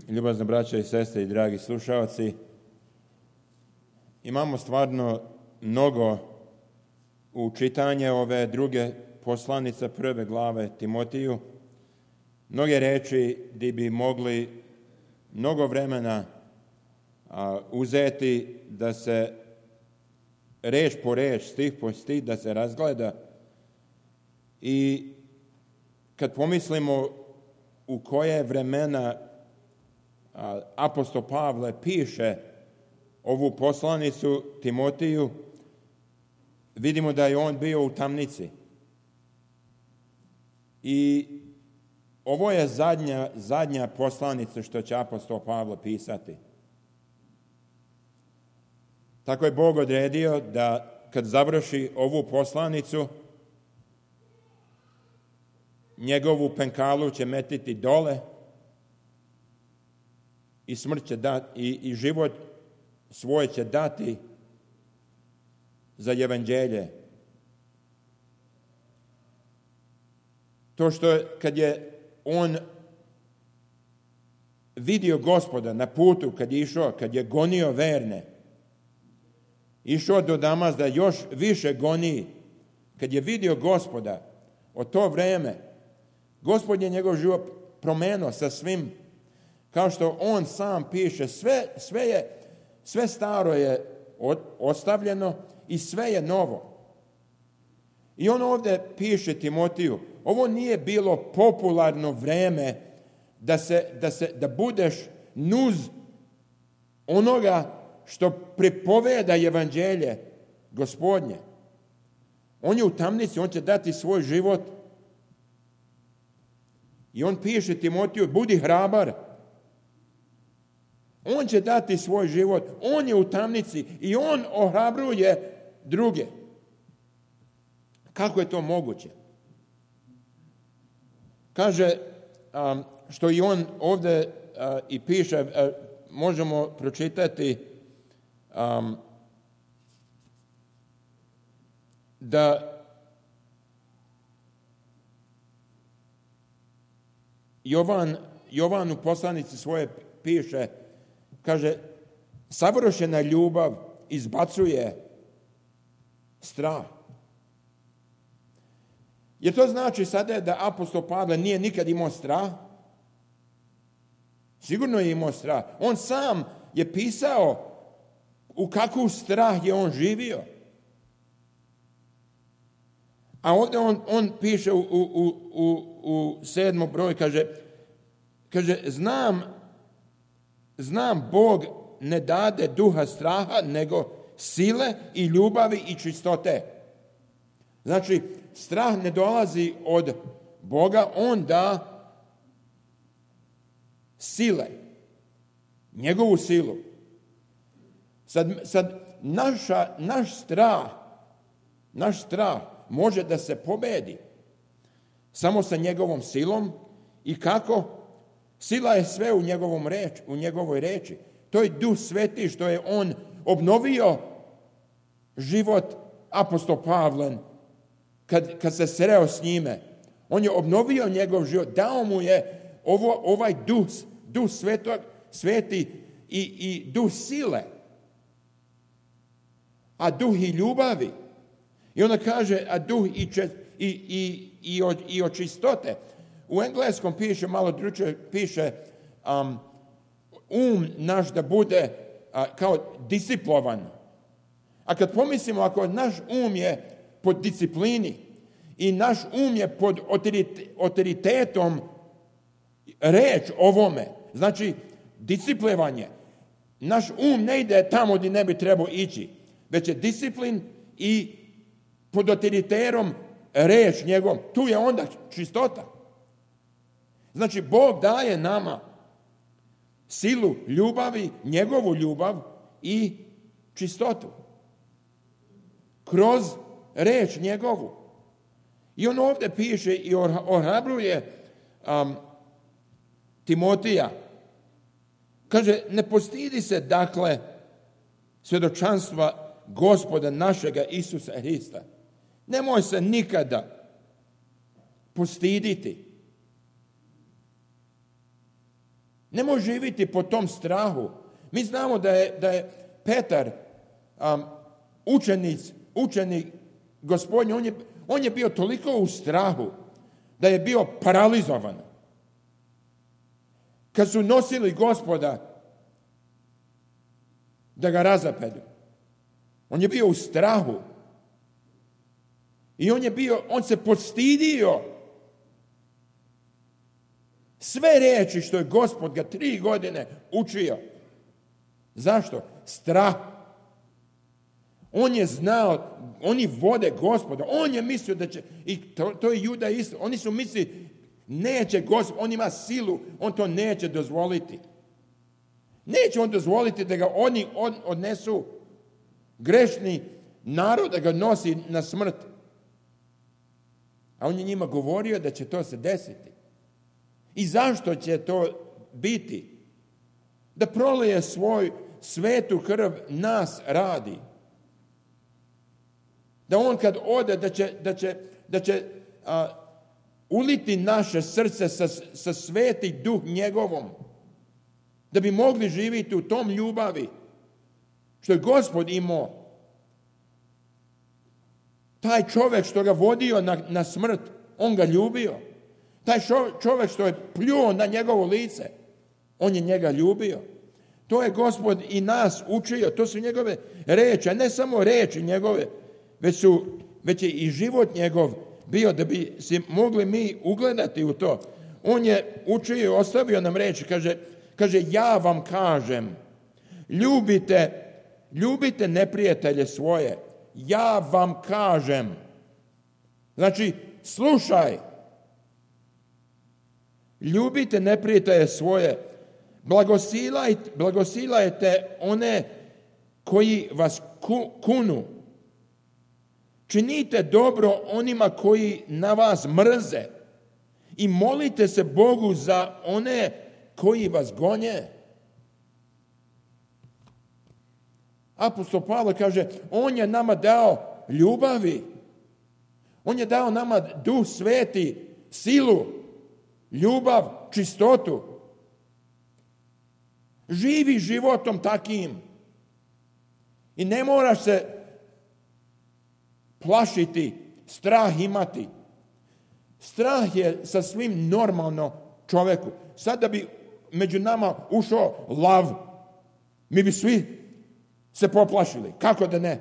Ljubazne braće i sestre i dragi slušalci, imamo stvarno mnogo u čitanje ove druge poslanice prve glave Timotiju. Mnoge reči gdje bi mogli mnogo vremena uzeti da se reč po reč, stih po stih da se razgleda. I kad pomislimo u koje vremena apostol Pavle piše ovu poslanicu Timotiju, vidimo da je on bio u tamnici. I ovo je zadnja poslanica što će apostol Pavle pisati. Tako je Bog odredio da kad završi ovu poslanicu, njegovu penkalu će metiti dole i smrt će dati, i život svoj će dati za evanđelje. To što kad je on vidio Gospoda na putu, kad je išao, kad je gonio verne, išao do Damas da još više goni, kad je vidio Gospoda, od to vreme, Gospod je njegov život promenio sa svim, kao što on sam piše, sve staro je ostavljeno i sve je novo. I on ovdje piše Timotiju, ovo nije bilo popularno vreme da budeš nuz onoga što pripoveda evanđelje Gospodnje. On je u tamnici, on će dati svoj život. I on piše Timotiju, budi hrabar. On će dati svoj život. On je u tamnici i on ohrabruje druge. Kako je to moguće? Kaže, što i on ovdje i piše, možemo pročitati da Jovan u poslanici svoje piše, kaže, savršena ljubav izbacuje strah. Jer to znači sada da apostol Pavle nije nikad imao strah? Sigurno je imao strah. On sam je pisao u kakvu strah je on živio. A ovdje on piše u 7. broj, kaže znam Bog ne dade duha straha, nego sile i ljubavi i čistote. Znači, strah ne dolazi od Boga, on da sile, njegovu silu. Sad naš strah može da se pobedi samo sa njegovom silom. I kako? Sila je sve u njegovoj reči. To je Duh Sveti što je on obnovio život apostol Pavlen kad se sreo s njime. On je obnovio njegov život, dao mu je ovaj Duh Sveti i Duh sile, a Duh i ljubavi. I onda kaže, a Duh i od čistote. U engleskom piše, malo drugčije piše, naš da bude kao disciplinovan. A kad pomislimo, ako naš je pod disciplini i naš je pod autoritetom reč ovome, znači disciplinovanje, naš ne ide tamo gdje ne bi trebao ići, već je disciplin i pod autoritetom reč njegov, tu je onda čistota. Znači, Bog daje nama silu ljubavi, njegovu ljubav i čistotu. Kroz reč njegovu. I on ovdje piše i ohrabruje Timotija. Kaže, ne postidi se, dakle, svjedočanstva Gospoda našega Isusa Hrista. Nemoj se nikada postiditi. Ne može živjeti po tom strahu. Mi znamo da je Petar učenik Gospodnji, on je bio toliko u strahu da je bio paralizovan. Kad su nosili Gospoda da ga razapedu, on je bio u strahu. I on se postidio sve riječi što je Gospod ga 3 godine učio. Zašto? Strah. On je znao, oni vode Gospoda. On je mislio da će, i to je Juda isto, oni su mislili, neće Gospod, on ima silu, on to neće dozvoliti. Neće on dozvoliti da ga oni odnesu, grešni narod, da ga nosi na smrt. A on je njima govorio da će to se desiti. I zašto će to biti? Da prolije svoj svetu krv nas radi. Da on kad ode, da će uliti naše srce sa sveti duh njegovom. Da bi mogli živjeti u tom ljubavi što je Gospod imao. Taj čovjek što ga vodio na smrt, on ga ljubio. Taj čovjek što je pljuo na njegovo lice, on je njega ljubio. To je Gospod i nas učio. To su njegove reči, a ne samo reči njegove, već je i život njegov bio da bi se mogli mi ugledati u to. On je učio i ostavio nam reči, kaže ja vam kažem, ljubite neprijatelje svoje. Ja vam kažem. Znači, slušaj. Ljubite neprijatelje svoje. Blagosilajte one koji vas kunu. Činite dobro onima koji na vas mrze. I molite se Bogu za one koji vas gonje. Apostol Pavle kaže, on je nama dao ljubavi. On je dao nama Duh Sveti, silu, ljubav, čistotu. Živi životom takim. I ne moraš se plašiti, strah imati. Strah je sasvim normalno čovjeku. Sad da bi među nama ušao lav, mi bi svi se poplašili. Kako da ne?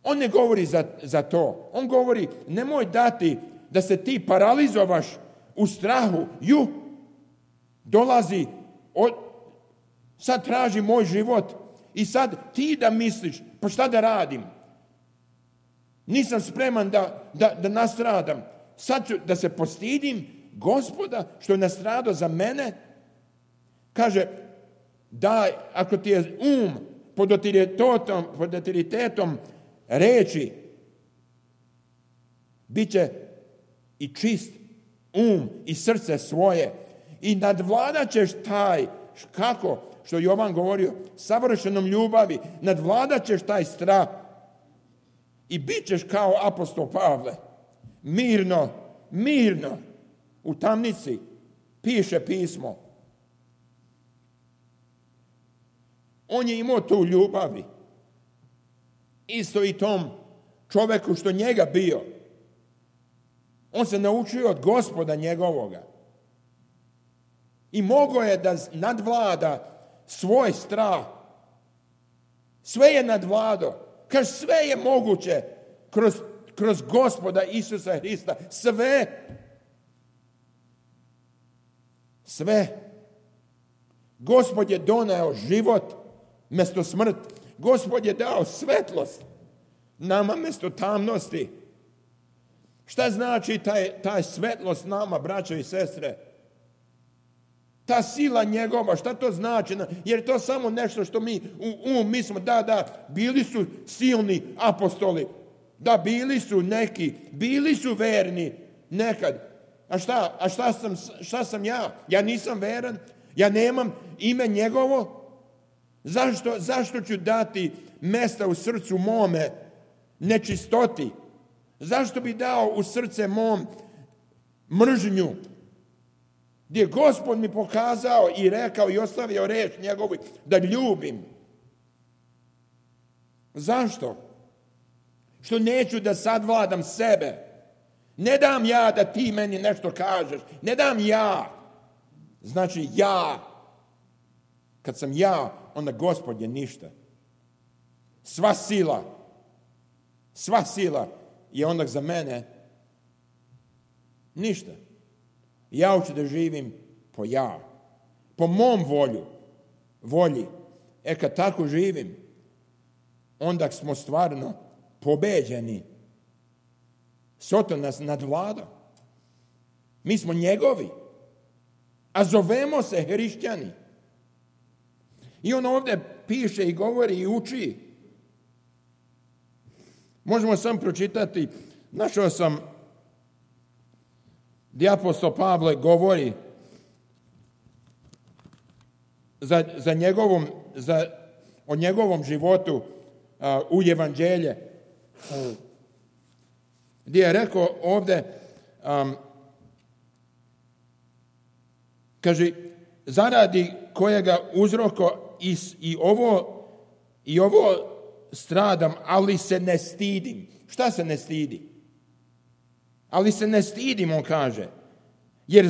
On ne govori za to. On govori, nemoj dati da se ti paralizovaš u strahu. Dolazi, sad traži moj život i sad ti da misliš, pa šta da radim? Nisam spreman da nastradam. Sad ću da se postidim Gospoda što je nastradao za kaže, daj, ako ti je pod autoritetom reči, bit će i čist i srce svoje i nadvladat ćeš kako, što Jovan govorio, savršenom ljubavi, nadvladat ćeš taj strah i bit ćeš kao apostol Pavle, mirno, u tamnici, piše pismo. On je imao tu ljubavi. Isto i tom čovjeku što njega bio. On se naučio od Gospoda njegovoga. I mogao je da nadvlada svoj strah. Sve je nadvladao. Kaže, sve je moguće kroz Gospoda Isusa Hrista. Sve. Gospod je doneo život mjesto smrt. Gospod je dao svetlost nama mjesto tamnosti. Šta znači taj svetlost nama, braćo i sestre? Ta sila njegova, šta to znači? Jer je to samo nešto što mi mislimo, da, bili su silni apostoli, da, bili su neki, bili su verni nekad. A šta sam ja? Ja nisam veran, ja nemam ime njegovo. Zašto ću dati mjesta u srcu mome nečistoti? Zašto bi dao u srce mom mržnju? gdje Gospod mi pokazao i rekao i ostavio reč njegovu da ljubim. Zašto? Što neću da sadvladam sebe. Ne dam ja da ti meni nešto kažeš. Ne dam ja. Znači ja. Kad sam ja, onda Gospod je ništa. Sva sila je onda za mene ništa. Ja hoću da živim po mom volji. Kad tako živim, onda smo stvarno pobeđeni. Soton nas nadvlada. Mi smo njegovi. A zovemo se hrišćani. I on ovdje piše i govori i uči. Možemo sam pročitati. Našao sam gdje apostol Pavle govori o njegovom životu u evanđelje. Gdje je rekao ovdje, kaže, zaradi kojega uzroko i ovo stradam, ali se ne stidim. Šta se ne stidi? Ali se ne stidim, on kaže, jer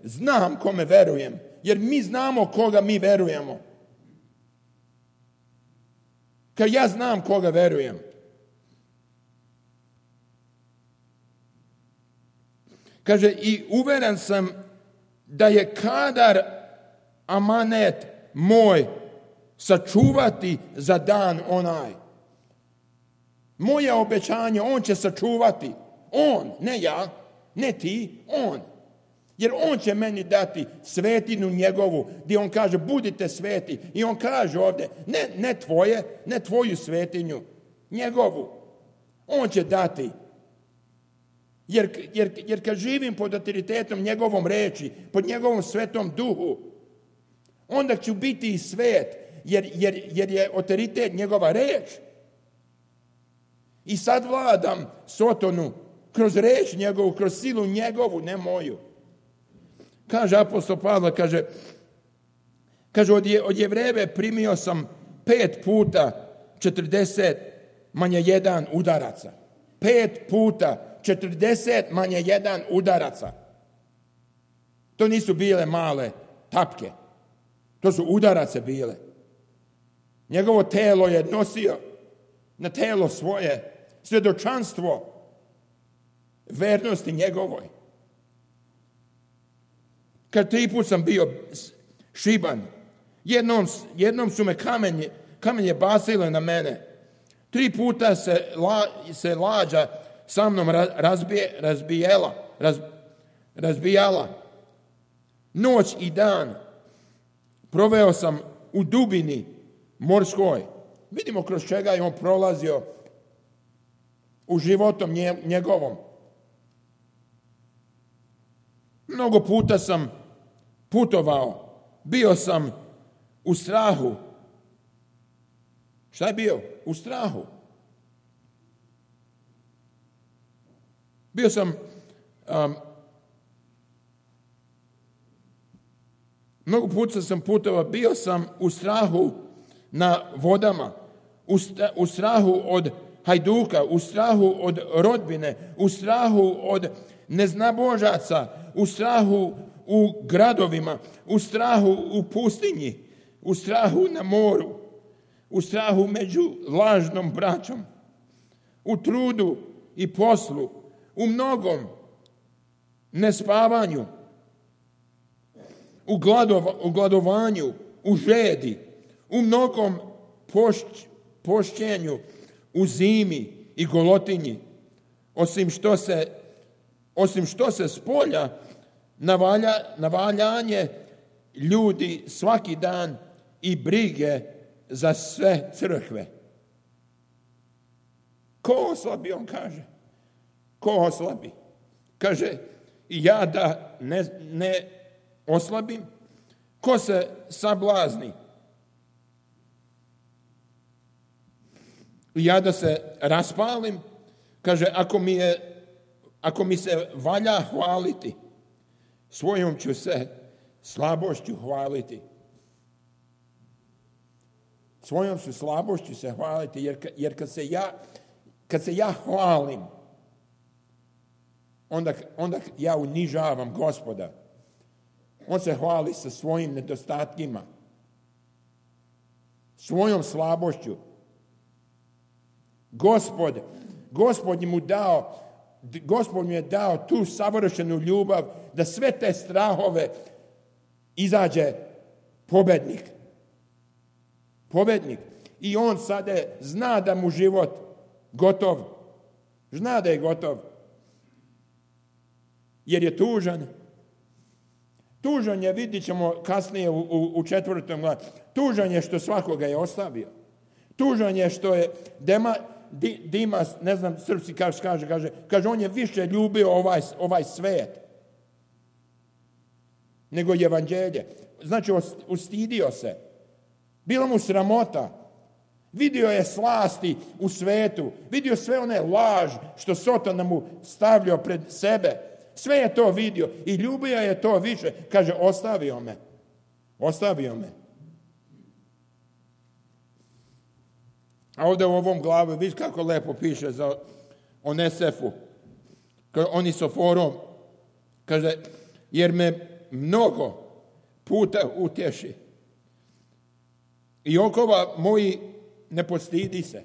znam kome verujem. Jer mi znamo koga mi verujemo. Kad ja znam koga verujem. Kaže, i uveren sam da je kadar amanet moj sačuvati za dan onaj. Moje obećanje on će sačuvati. On, ne ja, ne ti, on. Jer on će meni dati svetinu njegovu, gdje on kaže budite sveti. I on kaže ovdje, ne tvoju svetinju, njegovu. On će dati. Jer kad živim pod autoritetom njegovom reči, pod njegovom svetom duhu, onda ću biti i svet, jer je autoritet njegova reč. I sad vladam Sotonu kroz reč njegovu, kroz silu njegovu, ne moju. Kaže apostol Pavle, kaže od Jevreve primio sam 5 puta 40 manje 1 udaraca. 5 puta 40 manje 1 udaraca. To nisu bile male tapke. To su udarace bile. Njegovo telo je nosio na telo svoje svjedočanstvo vernosti njegovoj. Kad 3 put sam bio šiban, jednom su me kamenje basile na mene. 3 puta se lađa sa mnom razbijala. Noć i dan proveo sam u dubini morskoj. Vidimo kroz čega je on prolazio u životom njegovom. Mnogo puta sam putovao. Bio sam u strahu. Šta je bio? U strahu. Bio sam mnogo puta sam putovao. Bio sam u strahu na vodama. U strahu od hajduka. U strahu od rodbine. U strahu od neznabožaca. U strahu u gradovima, u strahu u pustinji, u strahu na moru, u strahu među lažnom braćom, u trudu i poslu, u mnogom nespavanju, u gladovanju, u žedi, u mnogom pošćenju, u zimi i golotinji, osim što se spolja navaljanje ljudi svaki dan i brige za sve crkve. Ko oslabi, on kaže. Ko oslabi? Kaže, ja da ne oslabim. Ko se sablazni? Ja da se raspalim. Kaže, ako mi se valja hvaliti, svojom ću se slabošću hvaliti. Svojom ću slabošću se hvaliti, jer kad se ja hvalim, onda ja unižavam Gospoda. On se hvali sa svojim nedostatkima, svojom slabošću. Gospod mu je dao tu savršenu ljubav da sve te strahove izađe pobednik. I on sada zna da mu život gotov. Zna da je gotov. Jer je tužan. Tužan je, vidit ćemo kasnije u 4. glavi. Tužan je što svakoga je ostavio. Tužan je što je Dimas, ne znam srpski kaže on je više ljubio ovaj svet nego evanđelje. Znači ustidio se. Bilo mu sramota. Vidio je slasti u svetu. Vidio sve one laž što Sotona mu stavljao pred sebe. Sve je to vidio i ljubio je to više. Kaže, ostavio me. A ovdje u ovom glavu, vidiš kako lepo piše za Onesefu, Onisoforom, kaže, jer me mnogo puta utješi. I okova moji ne postidi se.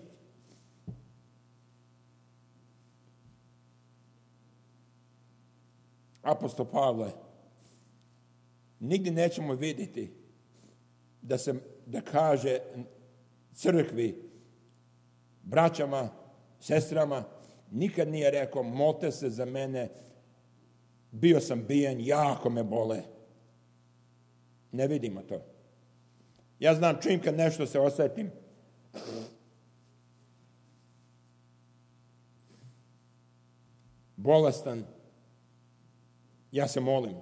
Apostol Pavle, nigdje nećemo vidjeti da kaže crkvi, braćama, sestrama, nikad nije rekao, molite se za mene, bio sam bijen, jako me bole. Ne vidimo to. Ja znam čim kad nešto se osjetim, bolestan, ja se molim.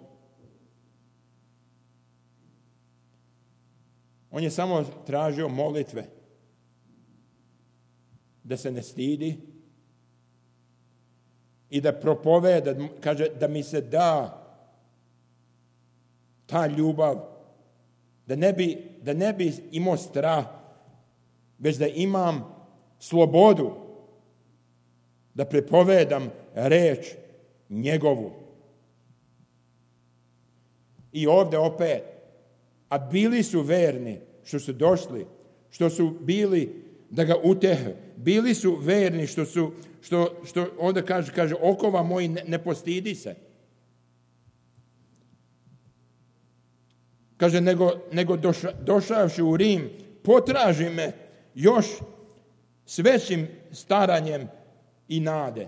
On je samo tražio molitve. Da se ne stidi i da propoveda, kaže da mi se da ta ljubav, da ne bi imao strah, već da imam slobodu da prepovedam reč njegovu. I ovdje opet, a bili su verni što su došli, što su bili da ga utehe. Bili su verni što onda kaže okova moji ne postidi se. Kaže, nego došavši u Rim, potraži me još s većim staranjem i nade.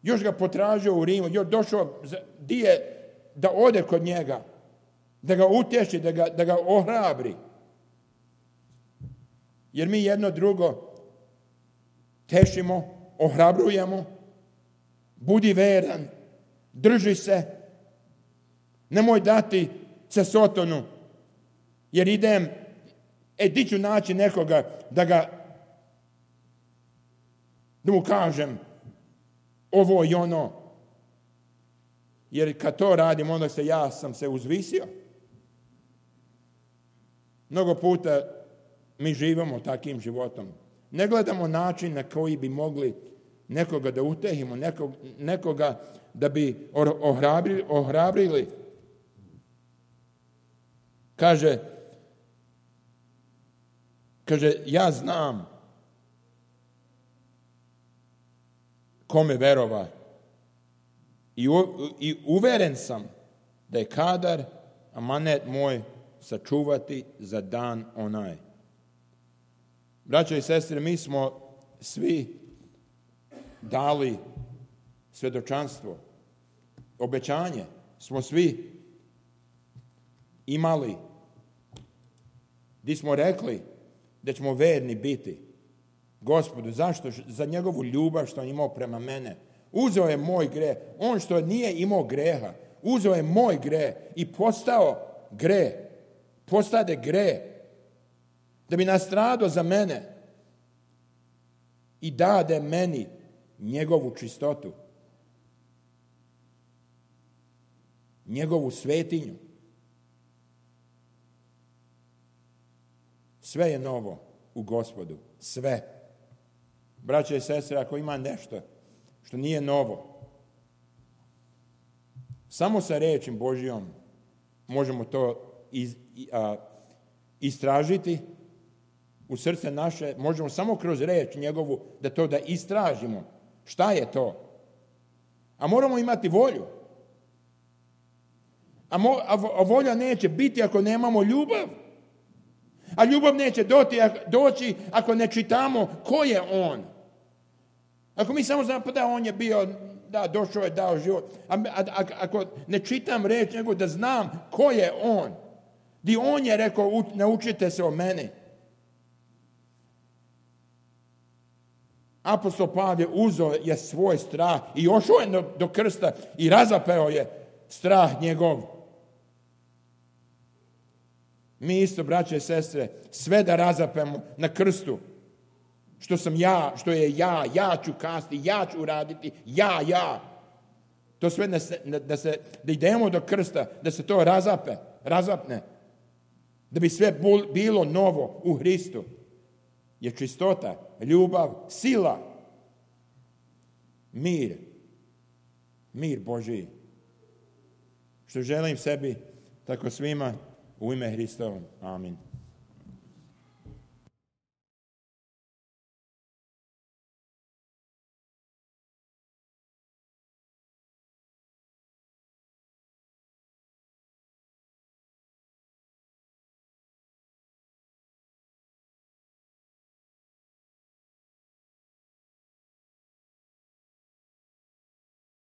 Još ga potražio u Rimu, još došao da ode kod njega, da ga utješi, da ga ohrabri. Jer mi jedno drugo tešimo, ohrabrujemo, budi veran, drži se, nemoj dati se Sotonu, jer idem, di ću naći nekoga da mu kažem ovo i ono. Jer kad to radim, onda ja sam se uzvisio. Mnogo puta mi živimo takim životom. Ne gledamo način na koji bi mogli nekoga da utehimo, nekoga da bi ohrabrili. Kaže, ja znam kome verova i uveren sam da je kadar amanet moj sačuvati za dan onaj. Braćo i sestre, mi smo svi dali svjedočanstvo, obećanje smo svi imali, gdje smo rekli da ćemo verni biti Gospodu. Zašto? Za njegovu ljubav što on imao prema mene. Uzeo je moj greh. On što nije imao greha, uzeo je moj greh i postao greh. Postade greh. Da bi nastradao za mene i dade meni njegovu čistotu. njegovu svetinju. Sve je novo u Gospodu. Sve. Braće i sestre, ako ima nešto što nije novo, samo sa rečim Božjom možemo to istražiti u srce naše. Možemo samo kroz reč njegovu da istražimo. Šta je to? A moramo imati volju. A volja neće biti ako nemamo ljubav. A ljubav neće doći ako ne čitamo ko je on. Ako mi samo znamo da on je bio, da došao je, dao život. Ako ne čitam reč nego da znam ko je on. Di on je rekao, naučite se o meni. Apostol Pavle uzeo je svoj strah i došao je do krsta i razapeo je strah njegov. Mi isto, braće i sestre, sve da razapemo na krstu. Što sam ja, što je ja ću kasti, ja ću uraditi, ja. To sve da idemo do krsta, da se to razapne. Da bi sve bilo novo u Hristu. Je čistota, ljubav, sila, mir Božji. Što želim sebi, tako svima, u ime Hristovom. Amin.